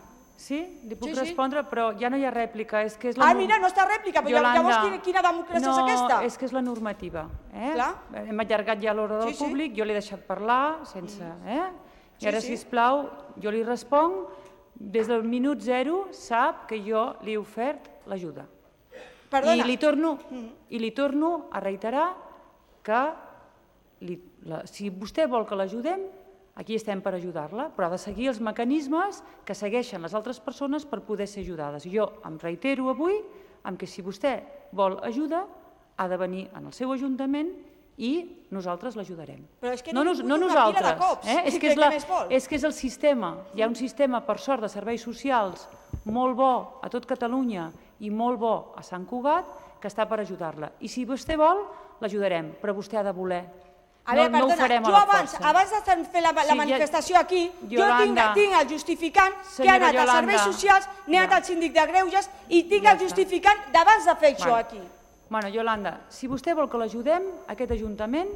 Sí? Li puc respondre, però ja no hi ha rèplica. Mira, no està rèplica, però llavors quina democràcia és aquesta? No, és que és la normativa. Hem allargat ja l'hora del públic, jo l'he deixat parlar sense... I ara, sisplau, jo li responc, des del minut 0 sap que jo li he ofert l'ajuda. I li torno a reiterar que si vostè vol que l'ajudem, Aquí estem per ajudar-la, però ha de seguir els mecanismes que segueixen les altres persones per poder ser ajudades. Jo em reitero avui en que si vostè vol ajuda ha de venir en el seu ajuntament i nosaltres l'ajudarem. Però és que no ningú una nosaltres, pila de cops. És que és el sistema. Hi ha un sistema, per sort, de serveis socials molt bo a tot Catalunya i molt bo a Sant Cugat que està per ajudar-la. I si vostè vol, l'ajudarem, però vostè ha de voler. A veure, perdona, jo abans de fer la manifestació aquí, jo tinc el justificant que he anat a serveis socials, n'he anat al síndic de Greuges i tinc el justificant d'abans de fer això aquí. Bueno, Iolanda, si vostè vol que l'ajudem, aquest Ajuntament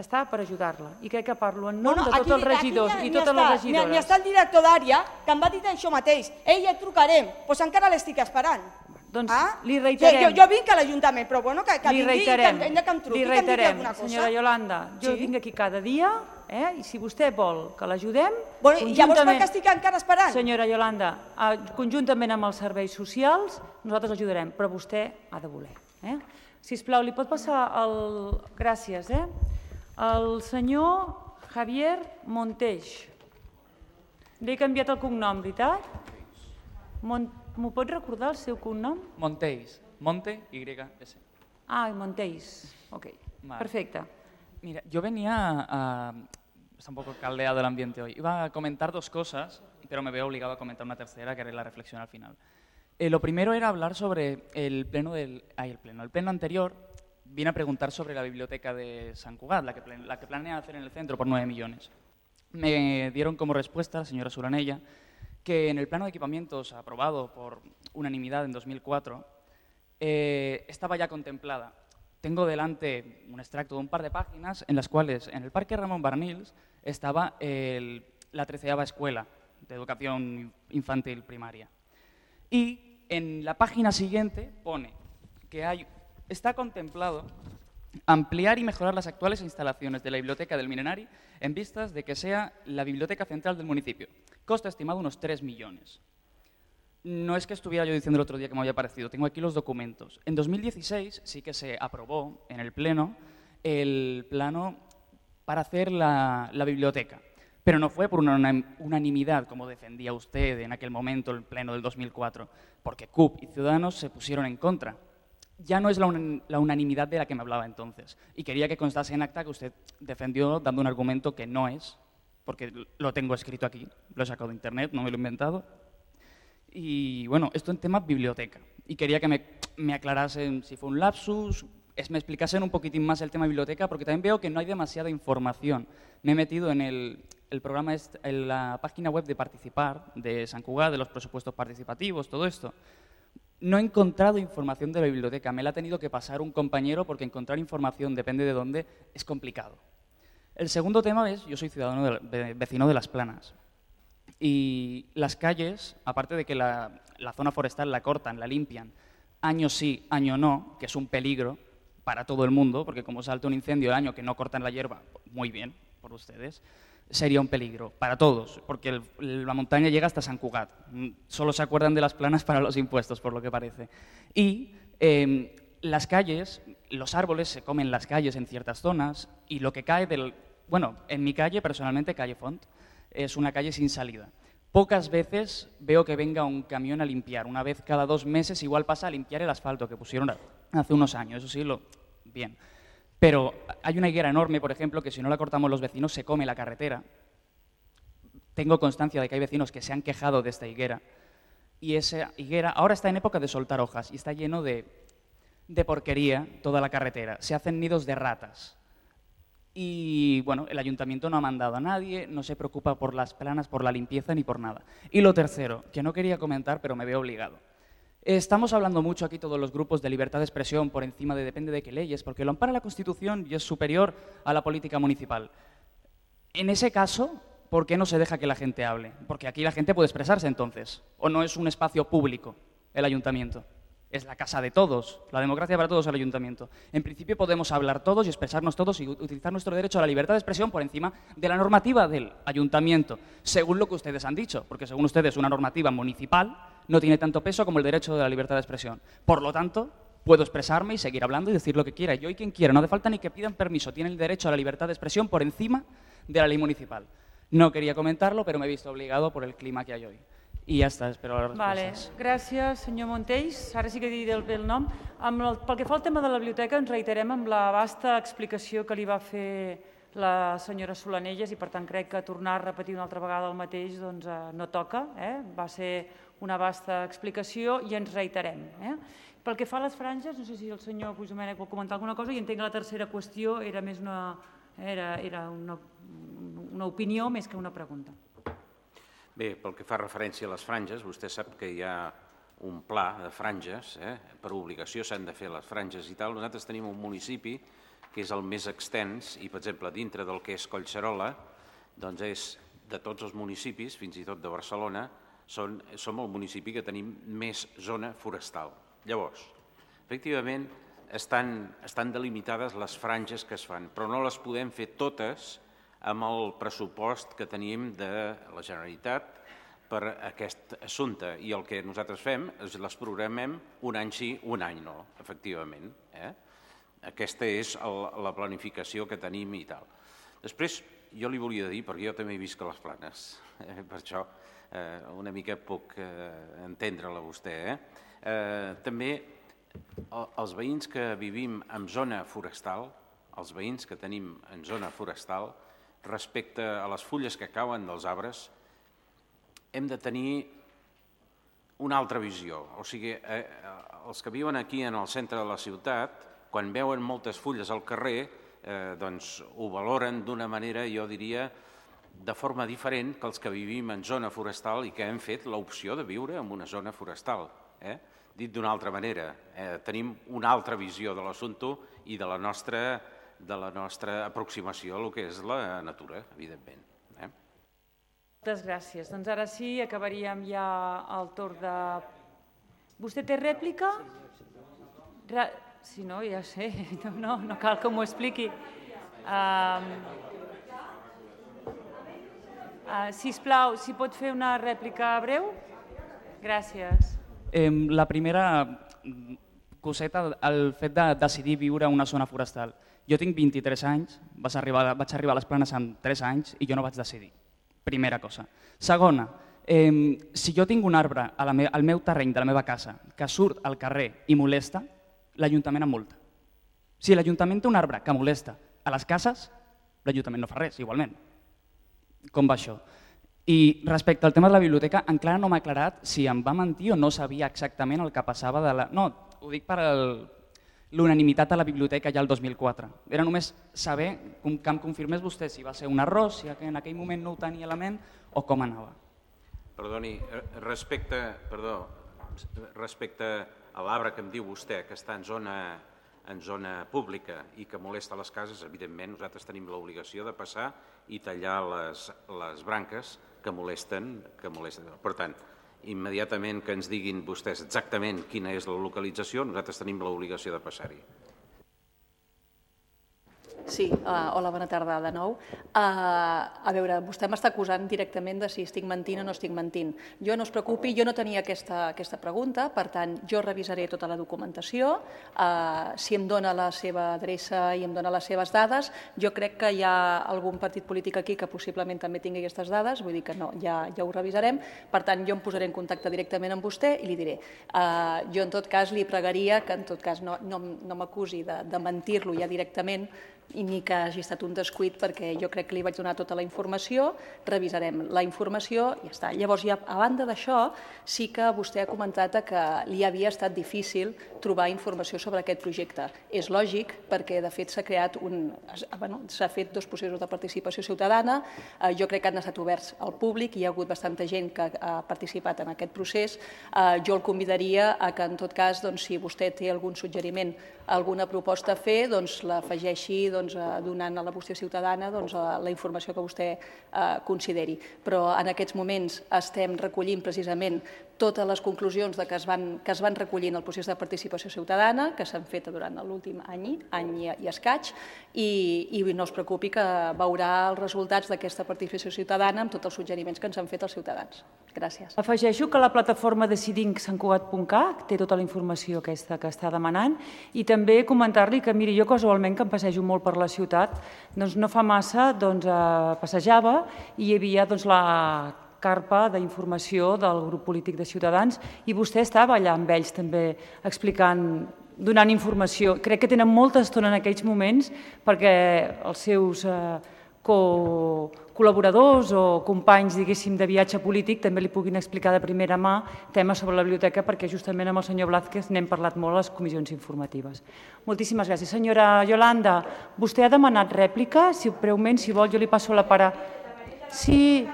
està per ajudar-la. I crec que parlo en nom de tots els regidors i totes les regidores. N'hi està el director d'àrea que em va dir això mateix. Ei, et trucarem. Doncs encara l'estic esperant. Doncs li reiterem. Jo vinc a l'Ajuntament, però bueno, que vingui i que em truqui, que em digui alguna cosa. Senyora Iolanda, jo vinc aquí cada dia i si vostè vol que l'ajudem... Llavors per què estic encara esperant? Senyora Iolanda, conjuntament amb els serveis socials, nosaltres l'ajudarem, però vostè ha de voler. Sisplau, li pot passar el... Gràcies, el senyor Javier Monteix. Li he canviat el cognom, veritat? M'ho pot recordar el seu cognom? Monteix. Monte, Y-S. Ah, Monteix. Ok, perfecte. Mira, yo venía está un poco caldeado el ambiente hoy. Iba a comentar dos cosas, pero me veo obligado a comentar una tercera, que haré la reflexión al final. Lo primero era hablar sobre el pleno anterior. Vine a preguntar sobre la biblioteca de Sant Cugat, la que planea hacer en el centro por 9 millones. Me dieron como respuesta, la señora Suranella, que en el plano de equipamientos aprobado por unanimidad en 2004 estaba ya contemplada. Tengo delante un extracto de un par de páginas en las cuales en el Parque Ramón Barnils estaba la 13ª escuela de educación infantil primaria. Y en la página siguiente pone que está contemplado ampliar y mejorar las actuales instalaciones de la Biblioteca del Milenari en vistas de que sea la biblioteca central del municipio. Coste estimado unos 3 millones. No es que estuviera yo diciendo el otro día que me había parecido, tengo aquí los documentos. En 2016 sí que se aprobó en el Pleno el plano para hacer la biblioteca, pero no fue por una unanimidad, como defendía usted en aquel momento, el Pleno del 2004, porque CUP y Ciudadanos se pusieron en contra. Ya no es la unanimidad de la que me hablaba entonces. Y quería que constase en acta que usted defendió dando un argumento que no es, porque lo tengo escrito aquí, lo he sacado de internet, no me lo he inventado. Y bueno, esto en tema biblioteca. Y quería que me aclarasen si fue un lapsus, me explicasen un poquitín más el tema biblioteca, porque también veo que no hay demasiada información. Me he metido en el programa, en la página web de Participar, de Sant Cugat, de los presupuestos participativos, todo esto. No he encontrado información de la biblioteca, me la ha tenido que pasar un compañero porque encontrar información, depende de dónde, es complicado. El segundo tema es, yo soy ciudadano vecino de Las Planas y las calles, aparte de que la zona forestal la cortan, la limpian, año sí, año no, que es un peligro para todo el mundo, porque como salta un incendio el año que no cortan la hierba, muy bien por ustedes, sería un peligro para todos, porque la montaña llega hasta Sant Cugat. Solo se acuerdan de Las Planas para los impuestos, por lo que parece. Y las calles, los árboles se comen las calles en ciertas zonas y lo que cae Bueno, en mi calle, personalmente, calle Font, es una calle sin salida. Pocas veces veo que venga un camión a limpiar. Una vez cada 2 meses igual pasa a limpiar el asfalto que pusieron hace unos años. Eso sí, bien. Pero hay una higuera enorme, por ejemplo, que si no la cortamos los vecinos se come la carretera. Tengo constancia de que hay vecinos que se han quejado de esta higuera. Y esa higuera ahora está en época de soltar hojas y está lleno de porquería toda la carretera. Se hacen nidos de ratas. Y bueno, el ayuntamiento no ha mandado a nadie, no se preocupa por Las Planas, por la limpieza ni por nada. Y lo tercero, que no quería comentar, pero me veo obligado. Estamos hablando mucho aquí todos los grupos de libertad de expresión por encima de depende de qué leyes, porque lo ampara la Constitución y es superior a la política municipal. En ese caso, ¿por qué no se deja que la gente hable? Porque aquí la gente puede expresarse entonces, o no es un espacio público el ayuntamiento. Es la casa de todos, la democracia para todos el ayuntamiento. En principio podemos hablar todos y expresarnos todos y utilizar nuestro derecho a la libertad de expresión por encima de la normativa del ayuntamiento, según lo que ustedes han dicho, porque según ustedes una normativa municipal no tiene tanto peso como el derecho de la libertad de expresión. Por lo tanto, puedo expresarme y seguir hablando y decir lo que quiera. Yo y quien quiera, no hace falta ni que pidan permiso, tienen el derecho a la libertad de expresión por encima de la ley municipal. No quería comentarlo, pero me he visto obligado por el clima que hay hoy. I ja està, espero les respostes. Gràcies, senyor Montells. Ara sí que diré el nom. Pel que fa al tema de la biblioteca, ens reiterem amb la vasta explicació que li va fer la senyora Solanelles i, per tant, crec que tornar a repetir una altra vegada el mateix no toca. Va ser una vasta explicació i ens reiterem. Pel que fa a les franges, no sé si el senyor Puigdomènech vol comentar alguna cosa, i entenc que la tercera qüestió era més una opinió més que una pregunta. Bé, pel que fa referència a les franges, vostè sap que hi ha un pla de franges, per obligació s'han de fer les franges i tal. Nosaltres tenim un municipi que és el més extens i, per exemple, dintre del que és Collserola, doncs és de tots els municipis, fins i tot de Barcelona, som el municipi que tenim més zona forestal. Llavors, efectivament, estan delimitades les franges que es fan, però no les podem fer totes amb el pressupost que tenim de la Generalitat per aquest assumpte. I el que nosaltres fem és les programem un any sí, un any no, efectivament. Aquesta és la planificació que tenim i tal. Després, jo li volia dir, perquè jo també he viscut les Planes, per això una mica puc entendre-la vostè. També els veïns que vivim en zona forestal, els veïns que tenim en zona forestal, respecte a les fulles que cauen dels arbres, hem de tenir una altra visió. O sigui, els que viuen aquí en el centre de la ciutat, quan veuen moltes fulles al carrer, doncs ho valoren d'una manera, jo diria, de forma diferent que els que vivim en zona forestal i que hem fet l'opció de viure en una zona forestal. Dit d'una altra manera, tenim una altra visió de l'assumpte i de la nostra aproximació a el que és la natura, evidentment. Moltes gràcies. Doncs ara sí, acabaríem ja el torn de... Vostè té rèplica? Si no, ja sé, no cal que m'ho expliqui. Sisplau, si pot fer una rèplica breu? Gràcies. La primera coseta, el fet de decidir viure en una zona forestal. Jo tinc 23 anys, vaig arribar a les Planes amb 3 anys i jo no vaig decidir. Primera cosa. Segona, si jo tinc un arbre al meu terreny de la meva casa que surt al carrer i molesta, l'Ajuntament em multa. Si l'Ajuntament té un arbre que molesta a les cases, l'Ajuntament no fa res, igualment. Com va això? I respecte al tema de la biblioteca, encara no m'ha aclarat si em va mentir o no sabia exactament el que passava de la... No, ho dic per l'unanimitat a la biblioteca ja el 2004. Era només saber que em confirmés vostè si va ser un error, si en aquell moment no ho tenia a la ment o com anava. Perdoni, respecte a l'arbre que em diu vostè, que està en zona pública i que molesta les cases, evidentment nosaltres tenim l'obligació de passar i tallar les branques que molesten. Per tant, immediatament que ens diguin vostès exactament quina és la localització, nosaltres tenim l'obligació de passar-hi. Sí, hola, bona tarda de nou. A veure, vostè m'està acusant directament de si estic mentint o no estic mentint. Jo no es preocupi, jo no tenia aquesta pregunta, per tant, jo revisaré tota la documentació. Si em dona la seva adreça i em dona les seves dades, jo crec que hi ha algun partit polític aquí que possiblement també tingui aquestes dades, vull dir que no, ja ho revisarem. Per tant, jo em posaré en contacte directament amb vostè i li diré. Jo, en tot cas, li pregaria que en tot cas no m'acusi de mentir-lo ja directament ni que hagi estat un descuit, perquè jo crec que li vaig donar tota la informació, revisarem la informació i ja està. Llavors, a banda d'això, sí que vostè ha comentat que li havia estat difícil trobar informació sobre aquest projecte. És lògic, perquè de fet s'ha fet 2 processos de participació ciutadana, jo crec que han estat oberts al públic, hi ha hagut bastanta gent que ha participat en aquest procés. Jo el convidaria a que, en tot cas, si vostè té algun suggeriment, alguna proposta a fer, l'afegeixi donant a la vostra ciutadana la informació que vostè consideri. Però en aquests moments estem recollint precisament totes les conclusions que es van recollir en el procés de participació ciutadana, que s'han fet durant l'últim any i escaig, i no es preocupi que veurà els resultats d'aquesta participació ciutadana amb tots els suggeriments que ens han fet els ciutadans. Gràcies. Afegeixo que la plataforma decidincsantcugat.cat té tota la informació aquesta que està demanant i també comentar-li que, miri, jo casualment que em passejo molt per la ciutat, doncs no fa massa passejava i hi havia la carpa d'informació del grup polític de Ciutadans i vostè estava allà amb ells també explicant, donant informació. Crec que tenen molta estona en aquells moments perquè els seus col·laboradors o companys, diguéssim, de viatge polític també li puguin explicar de primera mà temes sobre la biblioteca perquè justament amb el senyor Blázquez n'hem parlat molt a les comissions informatives. Moltíssimes gràcies. Senyora Yolanda, vostè ha demanat rèplica? Breument, si vol, jo li passo la paraula. Sí,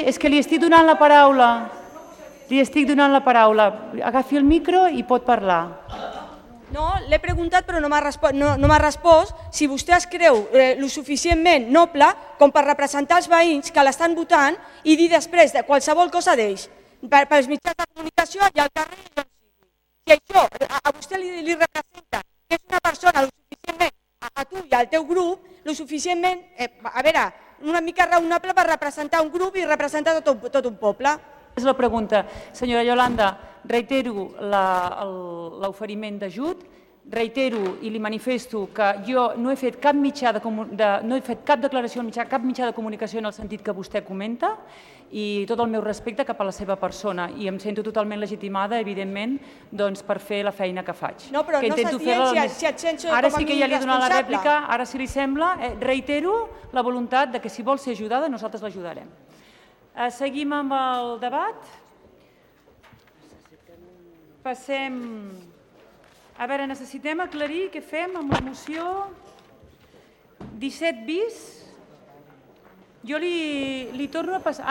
és que li estic donant la paraula. Li estic donant la paraula. Agafi el micro i pot parlar. No, l'he preguntat però no m'ha respost si vostè es creu lo suficientment noble com per representar els veïns que l'estan votant i dir després de qualsevol cosa d'ells, pels mitjans de comunicació i al carrer i on sigui. Si això a vostè li representa que és una persona lo suficientment, a tu i al teu grup, lo suficientment, a veure, una mica raonable per representar un grup i representar tot un poble. És la pregunta. Senyora Yolanda, reitero l'oferiment d'ajut, reitero i li manifesto que jo no he fet cap declaració al mitjà, cap mitjà de comunicació en el sentit que vostè comenta i tot el meu respecte cap a la seva persona i em sento totalment legitimada, evidentment, per fer la feina que faig. No, però no estàs dient si et sents com a Ara sí que ja li he donat la responsable. rèplica, ara si li sembla, reitero la voluntat que si vol ser ajudada nosaltres l'ajudarem. Seguim amb el debat. Passem... A veure, necessitem aclarir què fem amb la moció 17 bis. Jo li torno a passar...